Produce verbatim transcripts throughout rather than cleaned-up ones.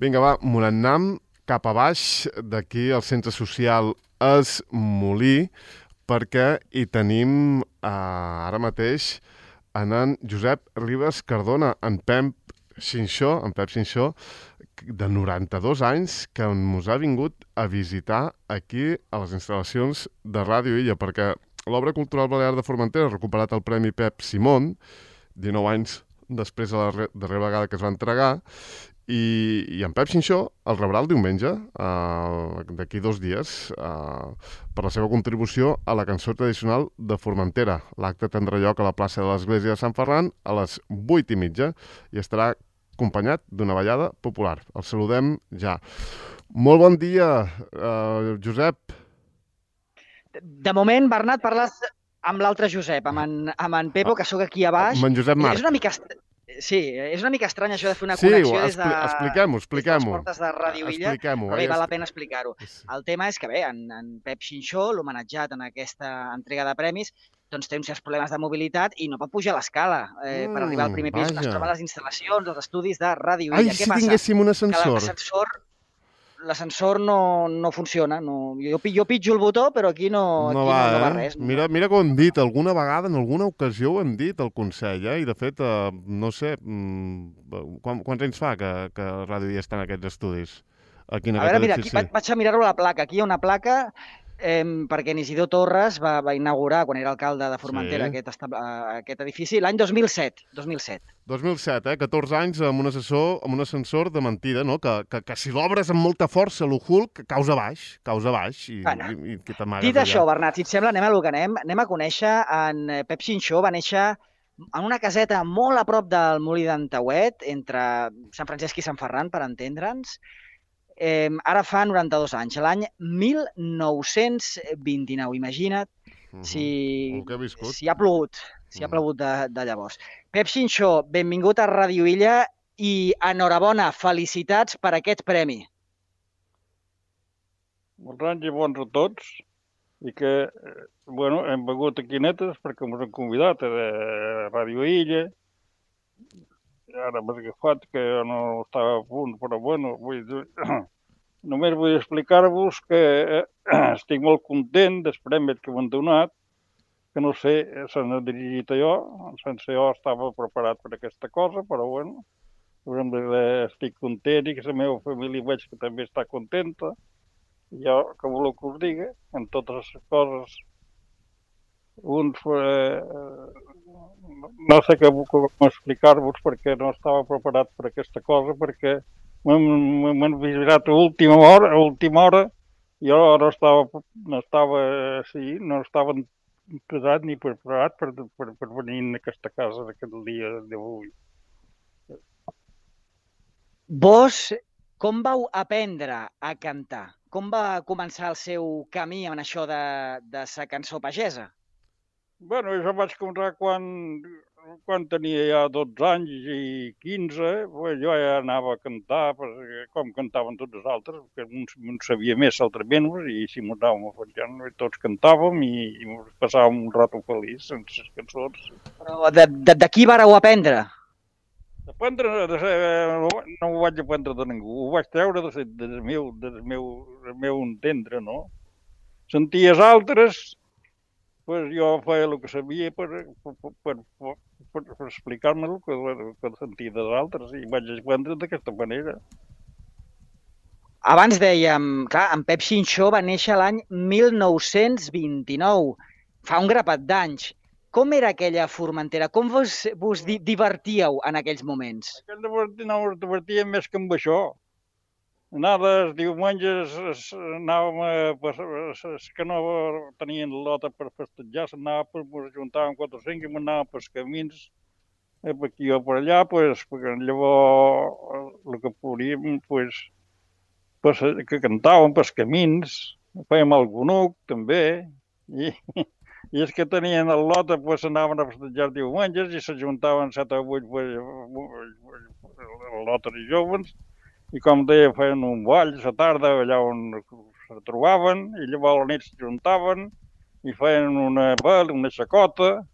Vinga, va, me n'anem cap a baix, d'aquí al centre social Es Molí, perquè hi tenim eh, ara mateix en en Josep Ribas Cardona, en Pep Xinxó, en Pep Xinxó, de noranta-dos anys, que ens ha vingut a visitar aquí a les instal·lacions de Ràdio Illa, perquè l'Obra Cultural Balear de Formentera ha recuperat el Premi Pep Simón, dinou anys després de la darrera vegada que es va entregar, i, i en Pep Xinxó el rebrà el diumenge, uh, d'aquí dos dies, uh, per la seva contribució a la cançó tradicional de Formentera. L'acte tindrà lloc a la plaça de l'Església de Sant Ferran a les vuit i mitja i estarà acompanyat d'una ballada popular. El saludem ja. Molt bon dia, uh, Josep. De moment, Bernat, parles amb l'altre Josep, amb en, amb en Pepo, que sóc aquí a baix. Amb en Josep Marc. És una mica... Sí, és una mica estrany això de fer una sí, connexió des de, expliquem-ho, expliquem-ho. des de les portes de Ràdio Illa, però bé, val la pena explicar-ho. El tema és que bé, en, en Pep Xinxó, l'homenatjat en aquesta entrega de premis, doncs té uns certs problemes de mobilitat i no pot pujar a l'escala eh, mm, per arribar al primer pis. Vaja. Es troba a les instal·lacions, als estudis de Ràdio Illa. Ai, Què si passa? tinguéssim un ascensor. Que l'ascensor... L'ascensor no, no funciona. No. Jo, jo pitjo el botó, però aquí no, no, aquí va, no, no va eh? res. No. Mira, mira com ho hem dit, alguna vegada, en alguna ocasió ho hem dit al Consell, eh? I de fet, eh, no sé, mm, quant, quants anys fa que, que Ràdio ja està en aquests estudis? Aquí en a veure, mira, aquí vaig, vaig a mirar-ho a la placa. Aquí hi ha una placa eh, perquè Isidor Torres va, va inaugurar, quan era alcalde de Formentera, sí. aquest, aquest edifici, l'any dos mil set. dos mil set. dos mil set, eh? catorze anys amb un, assessor, amb un ascensor de mentida, no? Que, que, que si l'obres amb molta força, l'Uhulk, causa baix, causa baix. I, bueno, i, i que t'amagues dit allà. Això, Bernat, si et sembla, anem a lo que anem. Anem a conèixer en Pep Xinxó. Va néixer en una caseta molt a prop del Molí d'en Tauet, entre Sant Francesc i Sant Ferran, per entendre'ns. Eh, ara fa noranta-dos anys, l'any mil nou-cents vint-i-nou. Imagina't uh-huh. si, si ha plogut, si uh-huh. ha plogut de, de llavors. Pep Xinxó, benvingut a Ràdio Illa i enhorabona, felicitats per aquest premi. Molts anys i bons a tots i que, bueno, hem begut aquí netes perquè ens han convidat a Ràdio Illa. Ara m'he agafat que no estava a punt, però bueno, vull dir, només vull explicar-vos que estic molt content dels premis que m'han donat, que no sé, se n'ha dirigit a jo, sense jo estava preparat per aquesta cosa, però bueno, estic content i que la meva família veig que també està contenta. Jo, que voleu que us digui, en totes les coses, uns... Eh, no sé què com explicar-vos perquè no estava preparat per aquesta cosa, perquè m'han visitat a última hora, a última hora, jo no estava, no estava, sí, no estava preparat ni preparat per, per, per venir a aquesta casa aquest dia d'avui. Vos, com vau aprendre a cantar? Com va començar el seu camí en això de, de sa cançó pagesa? Bueno, jo vaig començar quan, quan tenia ja dotze anys i quinze, jo ja anava a cantar, com cantaven tots els altres, que un sabia més altrament, i si m'ho anàvem afegint, tots cantàvem i, i passàvem un rato feliç sense les cançons. Però de, de, de qui vareu aprendre? Aprendre, no ho vaig aprendre de ningú, ho vaig treure del, del, meu, del, meu, del meu entendre, no? Senties altres... Pues jo feia el que sabia per, per, per, per, per explicar-me el que, que sentia dels altres i vaig aprendre d'aquesta manera. Abans dèiem, clar, en Pep Xinxó va néixer l'any mil nou-cents vint-i-nou, fa un grapat d'anys. Com era aquella Formentera? Com vos, vos divertíeu en aquells moments? No us divertíem més que amb això. Anava els diumenges, anàvem a... Els que no tenien lota per festejar, s'anava, ens ajuntàvem quatre o cinc i m'anàvem pels camins, per aquí o per allà, pues, llavors el que podíem, pues, pues, que cantàvem pels camins, fèiem el gunuc també, i, i els que tenien el lota pues, anaven a festejar diumenges i s'ajuntaven set o vuit lotes i joves, i com deia, feien un ball a la tarda allà on se trobaven, i llavors a la nit s'ajuntaven i feien una ball, una xacota,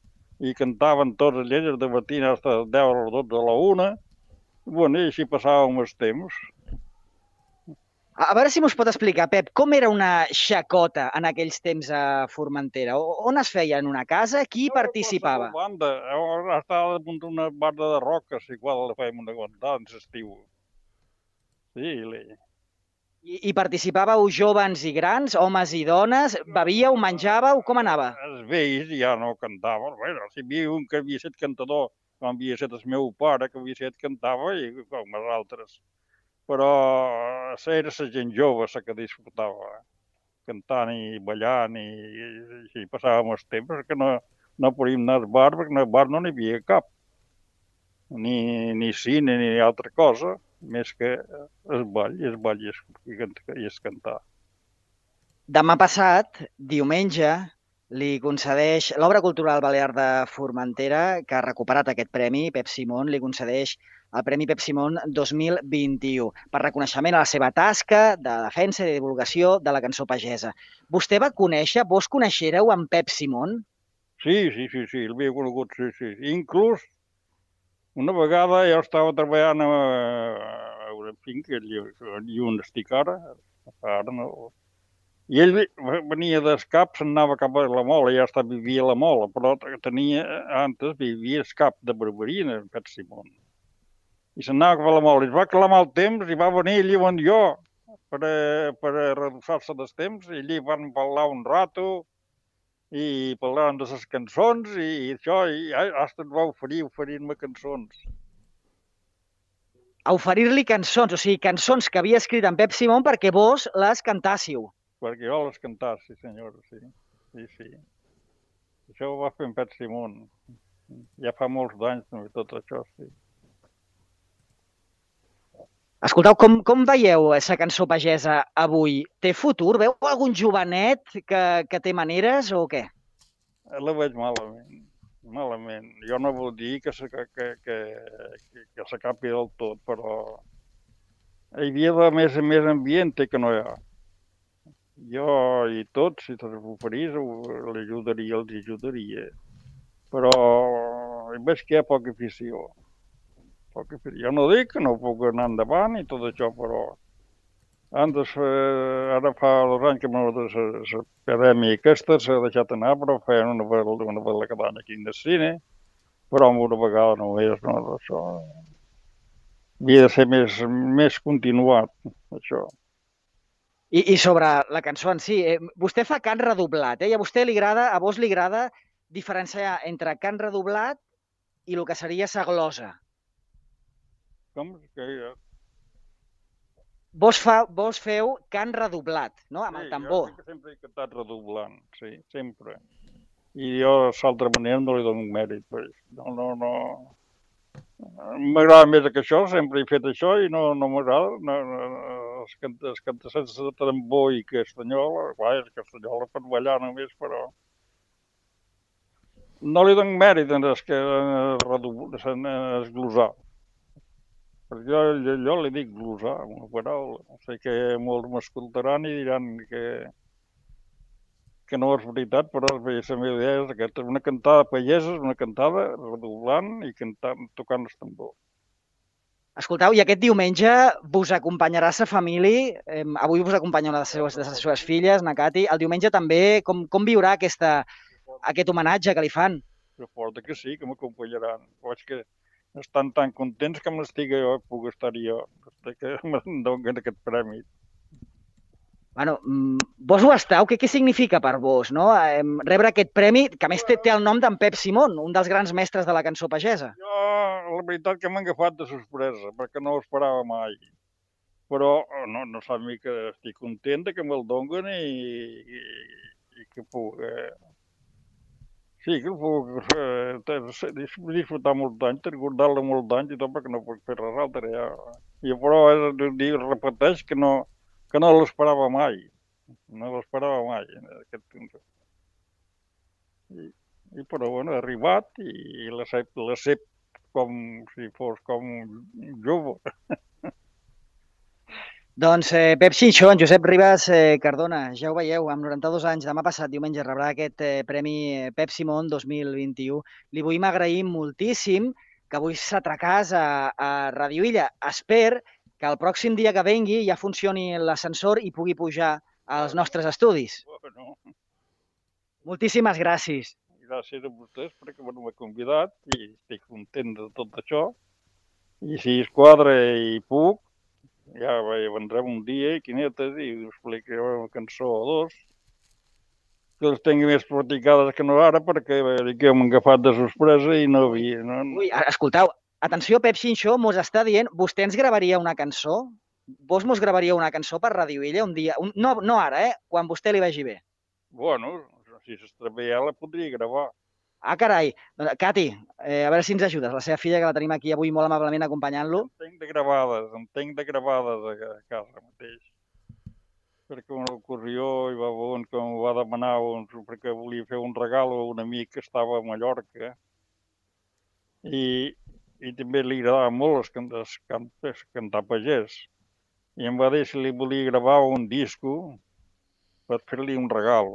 i cantaven tots els lletres de matí fins a les deu o les dotze a la una. Bueno, i així passàvem els temps. A veure si mos pot explicar, Pep, com era una xacota en aquells temps a Formentera? On es feia? En una casa? Qui participava? A banda, estava damunt d'una banda de roques, igual la fèiem una guantada en l'estiu. Sí, I, I participàveu joves i grans, homes i dones? Bevíeu, menjàveu? Com anava? Els vells ja no cantaven. Bueno, si hi havia un que havia estat cantador, com havia estat el meu pare, que havia estat cantava, i com els altres. Però era la gent jove la que disfrutava, cantant i ballant, i així passàvem els temps, que no, no podíem anar al bar, perquè al bar no n'hi havia cap. Ni, ni cine, ni altra cosa, més que el ball, i el ball i el cantar. Demà passat, diumenge, li concedeix l'Obra Cultural Balear de Formentera, que ha recuperat aquest premi, Pep Simón, li concedeix el Premi Pep Simón dos mil vint-i-u, per reconeixement a la seva tasca de defensa i de divulgació de la cançó pagesa. Vostè va conèixer, vos coneixereu en Pep Simón? Sí, sí, sí, sí, el havia conegut, sí, sí. Inclús una vegada jo estava treballant a una finca, i on estic ara, ara no... I ell venia del cap, se'n anava cap a la Mola, ja està, vivia a la Mola, però tenia, antes vivia al cap de Barberina, en Pep Simón. I se'n anava cap a la Mola, i es va clamar el temps, i va venir allí on jo, per a, per a reduçar-se dels temps, i allí van parlar un rato, i parlàvem de les cançons, i això, i hasta et va oferir, oferir-me cançons. A oferir-li cançons, o sigui, cançons que havia escrit en Pep Simón perquè vos les cantàssiu. Perquè jo les cantar, sí senyora, sí. Sí, sí. Això ho va fer en Pep Simón. Ja fa molts d'anys, no, tot això, sí. Escolteu, com, com veieu aquesta cançó pagesa avui? Té futur? Veu algun jovenet que, que té maneres o què? La veig malament, malament. Jo no vull dir que, que, que, que, que s'acapi del tot, però hi havia de més, més ambient que no hi ha. Jo i tots, si se'ls oferís, l'ajudaria, els ajudaria. Però veig que hi ha poca afició. Poca afició. Jo no dic que no puc anar endavant i tot això, però antes, ara fa dos anys que l'acadèmia aquesta s'ha deixat anar, però feien una vegada cada any aquí en el cine, però una vegada no és, no, això. Havia de ser més, més continuat, això. I, I sobre la cançó en si, eh, vostè fa cant redoblat, eh? I a vostè li agrada, a vos li agrada diferenciar entre cant redoblat i el que seria sa glosa. Com? Que... Vos, fa, vos feu cant redoblat, no? Amb el tambor. Sí, jo sempre he cantat redoblant, sí, sempre. I jo, d'altra manera, no li dono mèrit. No, no, no... M'agrada més que això, sempre he fet això i no, no m'agrada. No, no, els cantants sense tambor i castanyola, clar, és castanyola per ballar només, però no li dono mèrit en esglosar. Perquè jo, jo li dic glosar, una paraula. Sé que molts m'escoltaran i diran que, que no és veritat, però la meva idea és aquesta, una cantada pagesa, una cantada redoblant i cantant, tocant el tambor. Escolteu, i aquest diumenge vos acompanyarà sa família, eh, avui vos acompanya una de les seves, de les seves filles, na Cati, el diumenge també, com, com viurà aquesta, aquest homenatge que li fan? Suposo que sí, que m'acompanyaran. Veig que estan tan contents que m'estigui jo, puc estar jo, que em donen aquest premi. Bueno, vos ho esteu, què, què significa per vos, no? Eh, rebre aquest premi, que a més té, té el nom d'en Pep Simón, un dels grans mestres de la cançó pagesa. Jo, la veritat que m'ha agafat de sorpresa, perquè no ho esperava mai. Però no, no sap mi que estic content que me'l donen i, i, i que puc... Eh... Sí, que puc eh, disfrutar molts anys, recordar-la molts anys i tot, perquè no puc fer res altre. Ja. I però eh, repeteix que no... que no l'esperava mai, no l'esperava mai. Aquest... I, I però, bueno, ha arribat i l'accept com si fos com un jove. Doncs eh, Pep Xinxó, en Josep Ribas eh, Cardona, ja ho veieu, amb noranta-dos anys, demà passat diumenge rebrà aquest eh, Premi Pep Simón dos mil vint-i-u. Li vull agrair moltíssim que avui s'atracàs a, a Ràdio Illa. Espero que el pròxim dia que vengui ja funcioni l'ascensor i pugui pujar als nostres estudis. Bueno, Moltíssimes gràcies. gràcies a vostès perquè m'heu convidat i estic content de tot això. I si es quadra i puc, ja vendrem un dia, quinetes, i us explicaré una cançó o dos, que les tingui més practicades que no ara, perquè que m'han agafat de sorpresa i no havia... No... Ui, escolteu, atenció, Pep Xinxó mos està dient, vostè ens gravaria una cançó? Vos mos gravaria una cançó per Ràdio Illa un dia? Un, no, no ara, eh? Quan vostè li vagi bé. Bueno, si s'està bé ja la podria gravar. Ah, carai. Cati, eh, a veure si ens ajudes. La seva filla, que la tenim aquí avui molt amablement acompanyant-lo. En tinc de gravades, en tinc de gravades a casa mateix. Perquè una ocorrió i va veure que em va demanar un, perquè volia fer un regal a un amic que estava a Mallorca i, i també li agradava molt es, es, es, cantar pagès. I em va dir si li volia gravar un disco per fer-li un regal.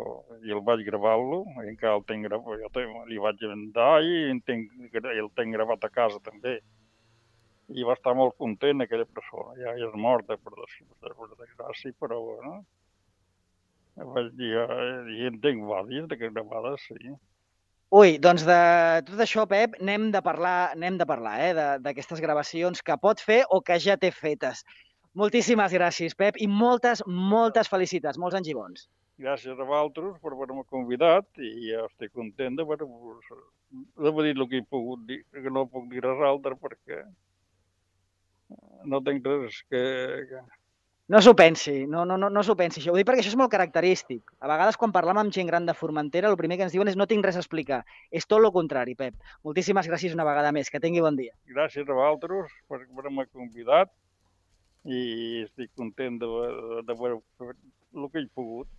I el vaig gravar-lo, i encara el tinc gravat, jo li vaig vendar i el tinc, el tinc gravat a casa també. I va estar molt content aquella persona. Ja és morta, per desgràcia, però bueno. Vaig dir, i en tinc vàries de gravades, sí. Ui, doncs de tot això, Pep, n'hem de parlar, n'hem de parlar, eh, d'aquestes gravacions que pot fer o que ja té fetes. Moltíssimes gràcies, Pep, i moltes, moltes felicitats, molts anys i bons. Gràcies a vosaltres per haver-me convidat i ja estic content d'haver-vos dit el que he pogut dir, que no puc dir res altre perquè no tinc res que... No s'ho pensi, no, no, no, no s'ho pensi. Ho dic perquè això és molt característic. A vegades quan parlam amb gent gran de Formentera el primer que ens diuen és no tinc res a explicar. És tot el contrari, Pep. Moltíssimes gràcies una vegada més. Que tingui bon dia. Gràcies a vosaltres per haver-me convidat i estic content d'haver fet el que he pogut.